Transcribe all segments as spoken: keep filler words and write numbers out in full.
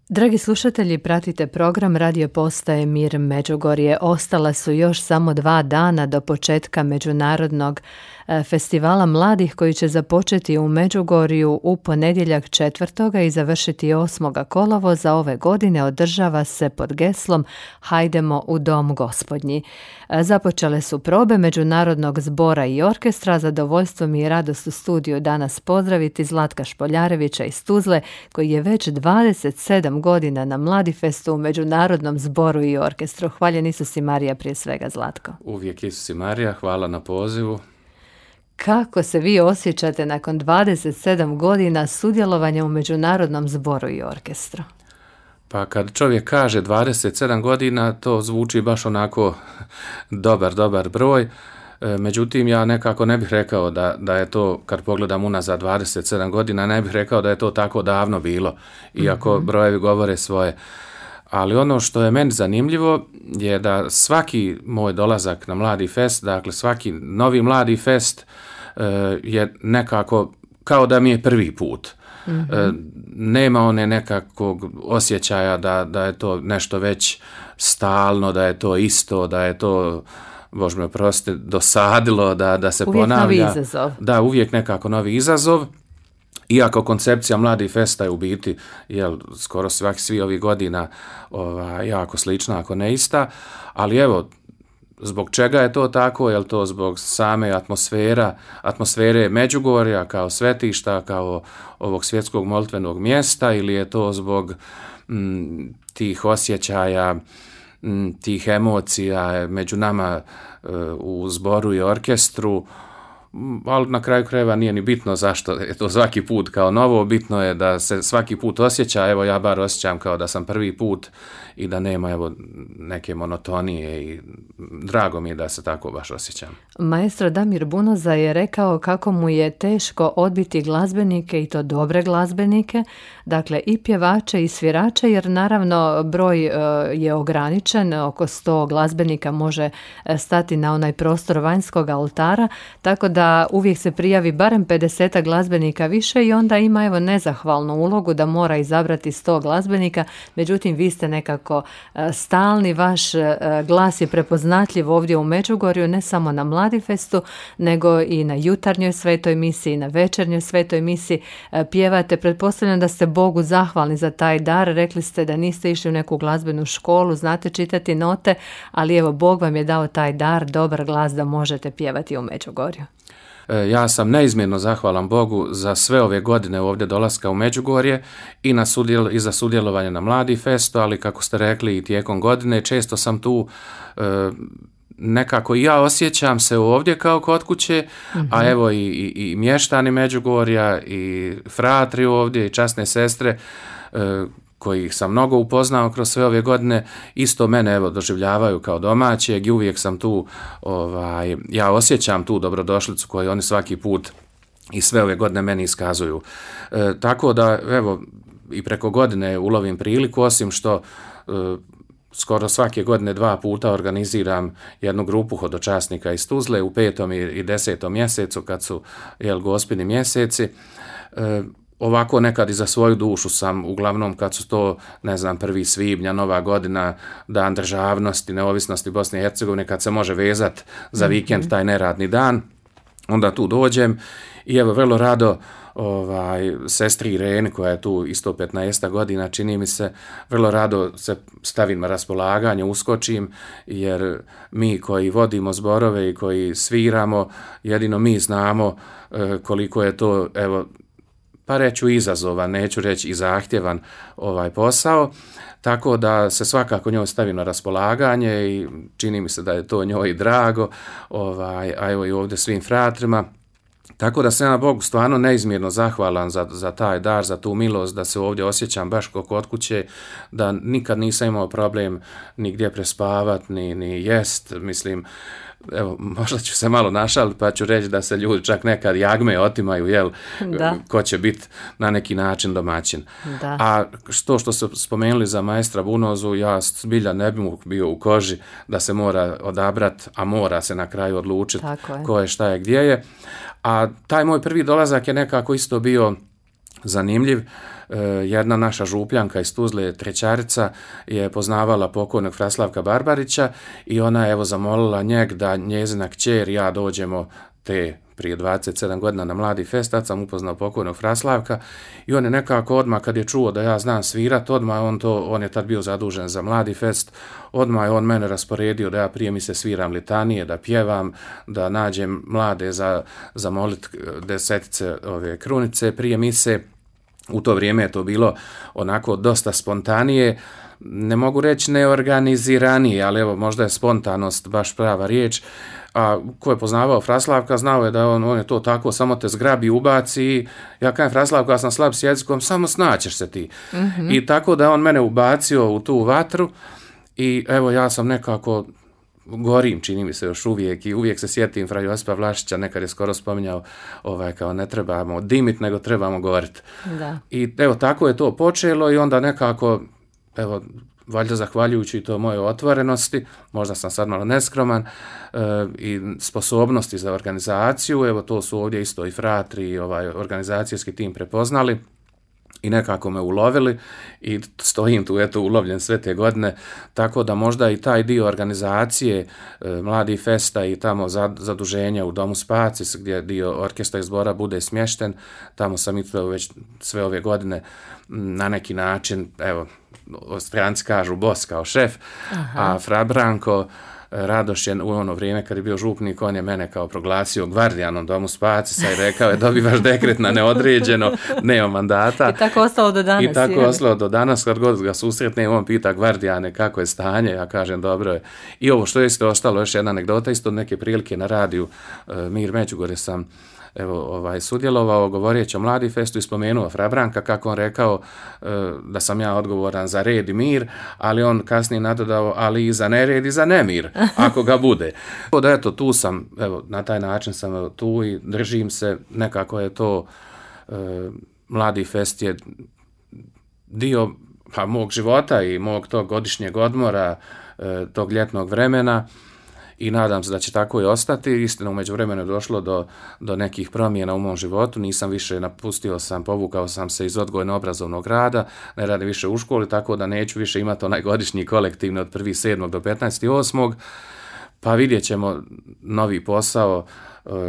Dragi slušatelji, pratite program Radio Postaje Mir Međugorje. Ostala su još samo dva dana do početka Međunarodnog festivala mladih koji će započeti u Međugorju u ponedjeljak četvrtoga i završiti osmoga kolovoza ove godine. Održava se pod geslom Hajdemo u dom gospodnji. Započele su probe Međunarodnog zbora i orkestra. Zadovoljstvo mi je radost u studiju danas pozdraviti Zlatka Špoljarevića iz Tuzle, koji je već dvadeset sedam godina na Mladifestu u Međunarodnom zboru i orkestru. Hvaljen Isus i Marija prije svega, Zlatko. Uvijek Isus i Marija, hvala na pozivu. Kako se vi osjećate nakon dvadeset sedam godina sudjelovanja u Međunarodnom zboru i orkestru? Pa kad čovjek kaže dvadeset sedam godina, to zvuči baš onako dobar, dobar broj. Međutim, ja nekako ne bih rekao da, da je to, kad pogledam unazad dvadeset sedam godina, ne bih rekao da je to tako davno bilo, iako mm-hmm. brojevi govore svoje. Ali ono što je meni zanimljivo je da svaki moj dolazak na Mladi fest, dakle svaki novi Mladi fest je nekako kao da mi je prvi put. Mm-hmm. Nema one nekakvog osjećaja da, da je to nešto već stalno, da je to isto, da je to, Bože me oprosti, dosadilo, da, da se uvijek ponavlja. Uvijek novi izazov. Da, uvijek nekako novi izazov. Iako koncepcija Mladi festa je u biti, jel, skoro svaki svi ovih godina ova, jako slična, ako ne ista, ali evo, zbog čega je to tako? Je li to zbog same atmosfera, atmosfere Međugorja kao svetišta, kao ovog svjetskog molitvenog mjesta, ili je to zbog m, tih osjećaja, m, tih emocija među nama e, u zboru i orkestru? Ali na kraju krajeva nije ni bitno zašto je to svaki put kao novo, bitno je da se svaki put osjeća, evo ja bar osjećam kao da sam prvi put i da nema evo neke monotonije i drago mi je da se tako baš osjećam. Maestro Damir Bunoza je rekao kako mu je teško odbiti glazbenike i to dobre glazbenike, dakle i pjevače i svirače, jer naravno broj je ograničen, oko sto glazbenika može stati na onaj prostor vanjskog oltara, tako da uvijek se prijavi barem pedeset glazbenika više i onda ima evo nezahvalnu ulogu da mora izabrati sto glazbenika, međutim vi ste nekako stalni, vaš glas je prepoznatljiv ovdje u Međugorju, ne samo na Mladifestu, nego i na jutarnjoj svetoj misiji, na večernjoj svetoj misiji pjevate. Pretpostavljam da ste Bogu zahvalni za taj dar, rekli ste da niste išli u neku glazbenu školu, znate čitati note, ali evo Bog vam je dao taj dar, dobar glas da možete pjevati u Međugorju. Ja sam neizmjerno zahvalan Bogu za sve ove godine ovdje dolaska u Međugorje i, na sudjel, i za sudjelovanje na Mladi festu, ali kako ste rekli i tijekom godine, često sam tu e, nekako i ja osjećam se ovdje kao kod kuće, mm-hmm. a evo i, i, i mještani Međugorja i fratri ovdje i časne sestre e, kojih sam mnogo upoznao kroz sve ove godine, isto mene evo doživljavaju kao domaćeg i uvijek sam tu, ovaj, ja osjećam tu dobrodošlicu koju oni svaki put i sve ove godine meni iskazuju. E, tako da evo i preko godine ulovim priliku, osim što e, skoro svake godine dva puta organiziram jednu grupu hodočasnika iz Tuzle u petom i desetom mjesecu kad su jel gospini mjeseci. E, Ovako nekad i za svoju dušu sam, uglavnom kad su to, ne znam, prvi svibnja, Nova godina, Dan državnosti, neovisnosti Bosne i Hercegovine, kad se može vezati za vikend taj neradni dan, onda tu dođem i evo vrlo rado ovaj, sestri Ireni koja je tu isto petnaest godina, čini mi se, vrlo rado se stavim na raspolaganje, uskočim, jer mi koji vodimo zborove i koji sviramo, jedino mi znamo e, koliko je to, evo, pa reću izazovan, neću reći i zahtjevan ovaj posao, tako da se svakako njoj stavi na raspolaganje i čini mi se da je to njoj drago, ovaj, a evo i ovdje svim fratrima. Tako da sam na Bogu stvarno neizmjerno zahvalan za, za taj dar, za tu milost, da se ovdje osjećam baš kao kod kuće, da nikad nisam imao problem ni gdje prespavat, ni, ni jest, mislim, evo, možda ću se malo našaliti pa ću reći da se ljudi čak nekad jagme otimaju, jel, da. Ko će biti na neki način domaćin. Da. A što što su spomenuli za maestra Bunozu, ja zbilja ne bi mu bio u koži da se mora odabrati, a mora se na kraju odlučiti ko je, šta je, gdje je. A taj moj prvi dolazak je nekako isto bio zanimljiv. Jedna naša župljanka iz Tuzle, Trećarica, je poznavala pokojnog Fraslavka Barbarića i ona je evo zamolila njeg da njezina kćer i ja dođemo te prije dvadeset sedam godina na Mladi fest. Tad sam upoznao pokojnog Fraslavka i on je nekako odmah kad je čuo da ja znam svirat, odmah on to, on je tad bio zadužen za Mladi fest, odmah je on mene rasporedio da ja prije mi se sviram litanije, da pjevam, da nađem mlade za, za molit desetice ove krunice prije mise. U to vrijeme je to bilo onako dosta spontanije, ne mogu reći neorganiziranije, ali evo možda je spontanost baš prava riječ. A ko je poznavao Fraslavka, znao je da on, on je to tako, samo te zgrabi, ubaci. Ja kažem Fraslavka, ja sam slab s jezikom, samo snaćeš se ti. Mm-hmm. I tako da on mene ubacio u tu vatru i evo ja sam nekako gorim, čini mi se još uvijek i uvijek se sjetim fra Josipa Vlašića, nekad je skoro spominjao ovaj, kao ne trebamo dimit, nego trebamo govorit. Da. I evo tako je to počelo i onda nekako, evo, valjda zahvaljujući to moje otvorenosti, možda sam sad malo neskroman, e, i sposobnosti za organizaciju, evo to su ovdje isto i fratri i ovaj organizacijski tim prepoznali i nekako me ulovili i stojim tu eto ulovljen sve te godine, tako da možda i taj dio organizacije e, Mladi festa i tamo zaduženja u Domu Spacis gdje dio orkestra i zbora bude smješten, tamo sam i to već sve ove godine na neki način, evo, Stranci kažu boss kao šef. Aha. A Fra Branko Radoš je u ono vrijeme kad je bio župnik, on je mene kao proglasio gvardijanom Domu Spacisa i rekao je dobivaš dekret na neodređeno, nema mandata. I tako ostalo do danas. I tako je ostalo do danas, kad god ga susretne, on pita gvardijane kako je stanje, ja kažem dobro je. I ovo što je isto ostalo, još jedna anegdota, isto neke prilike na radiju Mir Međugorje sam evo, ovaj, sudjelovao govoreći o Mladi festu i spomenuo Fra Branka kako on rekao e, da sam ja odgovoran za red i mir, ali on kasnije nadodao ali i za nered i za nemir, ako ga bude. Da eto, tu sam, evo, na taj način sam evo, tu i držim se, nekako je to, e, Mladi fest je dio pa, mog života i mog tog godišnjeg odmora, e, tog ljetnog vremena. I nadam se da će tako i ostati. Istina, u međuvremenu je došlo do, do nekih promjena u mom životu. Nisam više napustio sam, povukao sam se iz odgojno-obrazovnog rada, ne radim više u školi, tako da neću više imati onaj godišnji kolektivni od prvog sedmog do petnaestog osmog Pa vidjet ćemo novi posao,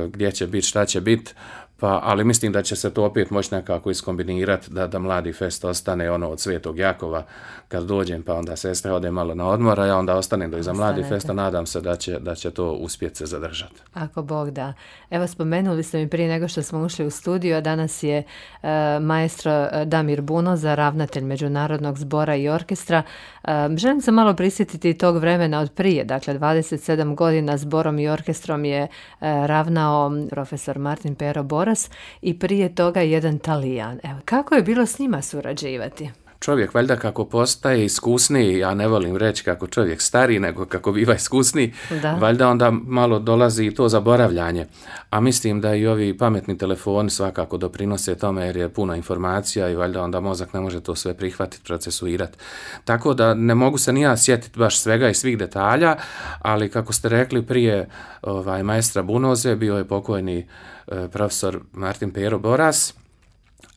gdje će biti, šta će biti. Pa, ali mislim da će se to opet moći nekako iskombinirati da, da Mladi fest ostane ono od Svetog Jakova kad dođem, pa onda sestra ode malo na odmor, a ja onda ostanem do iza Mladi festa, nadam se da će, da će to uspjeti se zadržati. Ako Bog da. Evo, spomenuli ste mi prije nego što smo ušli u studio, a danas je uh, maestro Damir Bunoza, ravnatelj Međunarodnog zbora i orkestra. Uh, želim se malo prisjetiti tog vremena od prije, dakle dvadeset sedam godina zborom i orkestrom je uh, ravnao profesor Martin Pero Boras i prije toga jedan Talijan. Evo, kako je bilo s njima surađivati? Čovjek valjda kako postaje iskusniji, ja ne volim reći kako čovjek stari, nego kako biva iskusniji, da. Valjda onda malo dolazi i to zaboravljanje. A mislim da i ovi pametni telefoni svakako doprinose tome jer je puno informacija i valjda onda mozak ne može to sve prihvatiti, procesuirati. Tako da ne mogu se ni ja sjetiti baš svega i svih detalja, ali kako ste rekli prije ovaj, maestra Bunoze bio je pokojni eh, profesor Martin Pero Boras,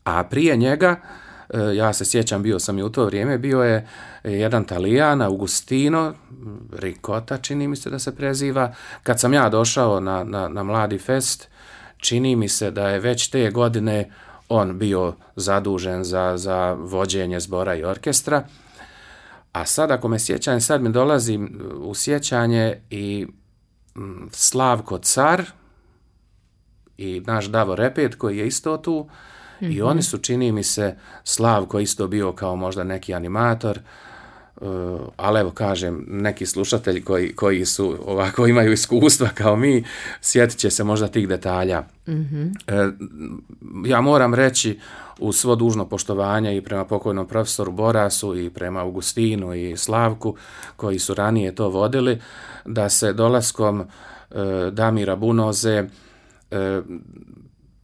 a prije njega ja se sjećam, bio sam i u to vrijeme, bio je jedan Talijan, Augustino Ricotta, čini mi se da se preziva. Kad sam ja došao na, na, na Mladi fest, čini mi se da je već te godine on bio zadužen za, za vođenje zbora i orkestra. A sad, ako me sjećam, sad mi dolazi u sjećanje i Slavko Car i naš Davor Repet, koji je isto tu. Mm-hmm. I oni su, čini mi se, Slavko isto bio kao možda neki animator, uh, ali evo kažem, neki slušatelji koji, koji su ovako imaju iskustva kao mi, sjetit će se možda tih detalja. Mm-hmm. Uh, ja moram reći, uz svo dužno poštovanje i prema pokojnom profesoru Borasu i prema Augustinu i Slavku, koji su ranije to vodili, da se dolaskom uh, Damira Bunoze uh,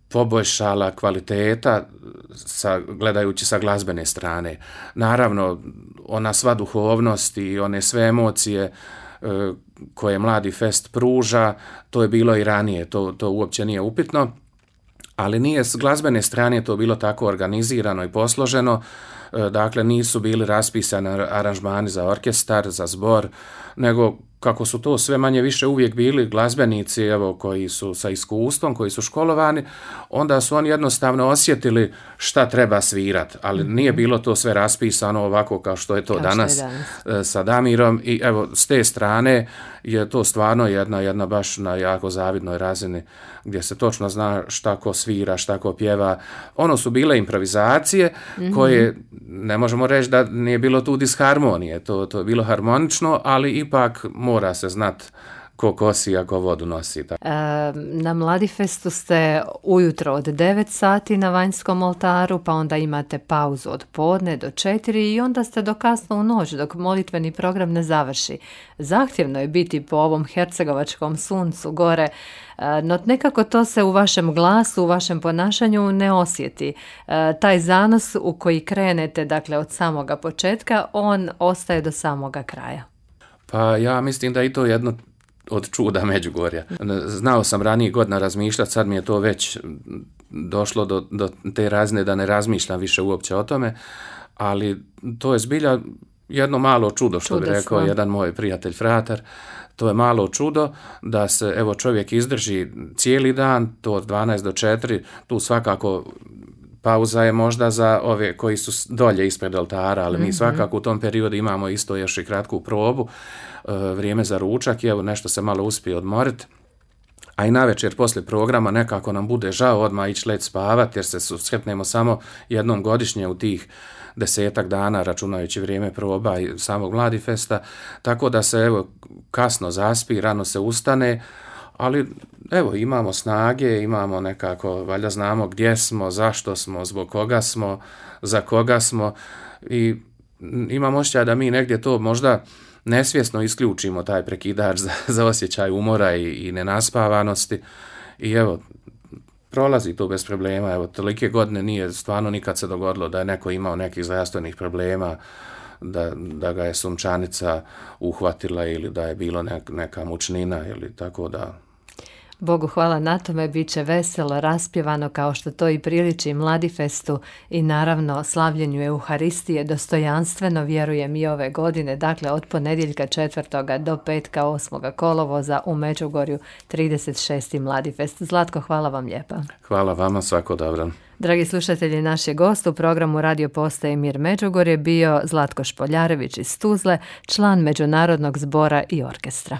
poboljšala kvaliteta sa, gledajući sa glazbene strane. Naravno, ona sva duhovnost i one sve emocije e, koje Mladi fest pruža, to je bilo i ranije, to, to uopće nije upitno, ali nije s glazbene strane to bilo tako organizirano i posloženo, dakle nisu bili raspisani aranžmani za orkestar, za zbor, nego kako su to sve manje više uvijek bili glazbenici, evo, koji su sa iskustvom, koji su školovani, onda su oni jednostavno osjetili šta treba svirati, ali mm-hmm. nije bilo to sve raspisano ovako kao što je to kao danas, je danas sa Damirom, i evo s te strane je to stvarno jedna, jedna baš na jako zavidnoj razini gdje se točno zna šta ko svira, šta ko pjeva. Ono su bile improvizacije mm-hmm. koje ne možemo reći da nije bilo tu disharmonije, to, to je bilo harmonično, ali ipak mora se znat ko kosi, a ko vodu nosi. E, na Mladifestu ste ujutro od devet sati na vanjskom oltaru, pa onda imate pauzu od podne do četiri i onda ste do kasno u noć dok molitveni program ne završi. Zahtjevno je biti po ovom hercegovačkom suncu gore, no nekako to se u vašem glasu, u vašem ponašanju ne osjeti. E, taj zanos u koji krenete, dakle od samoga početka, on ostaje do samoga kraja. Pa ja mislim da i to jedno od čuda Međugorja. Znao sam ranije godina razmišljati, sad mi je to već došlo do, do te razine da ne razmišljam više uopće o tome, ali to je zbilja jedno malo čudo, što Čudesno. bi rekao jedan moj prijatelj fratar. To je malo čudo da se evo čovjek izdrži cijeli dan, to od dvanaest do četiri, tu svakako pauza je možda za ove koji su dolje ispred oltara, ali mi svakako u tom periodu imamo isto još i kratku probu, vrijeme za ručak i evo nešto se malo uspije odmoriti. A i navečer poslije programa nekako nam bude žao odmah ići let spavati jer se susretnemo samo jednom godišnje u tih desetak dana računajući vrijeme proba i samog Mladifesta, tako da se evo kasno zaspi, rano se ustane, ali evo imamo snage, imamo nekako, valjda znamo gdje smo, zašto smo, zbog koga smo, za koga smo i imam osjećaj da mi negdje to možda nesvjesno isključimo taj prekidač za, za osjećaj umora i, i nenaspavanosti i evo prolazi to bez problema, evo tolike godine nije stvarno nikad se dogodilo da je neko imao nekih zdravstvenih problema, da, da ga je sunčanica uhvatila ili da je bilo nek, neka mučnina ili tako da. Bogu hvala na tome, bit će veselo, raspjevano kao što to i priliči Mladifestu i naravno slavljenju Euharistije dostojanstveno, vjerujem i ove godine, dakle od ponedjeljka četvrtoga do petka osmoga kolovoza u Međugorju trideset šesti Mladifest. Zlatko, hvala vam lijepa. Hvala vama, svako dobro. Dragi slušatelji, naš je gost u programu Radio Postaje Mir Međugorje bio Zlatko Špoljarević iz Tuzle, član Međunarodnog zbora i orkestra.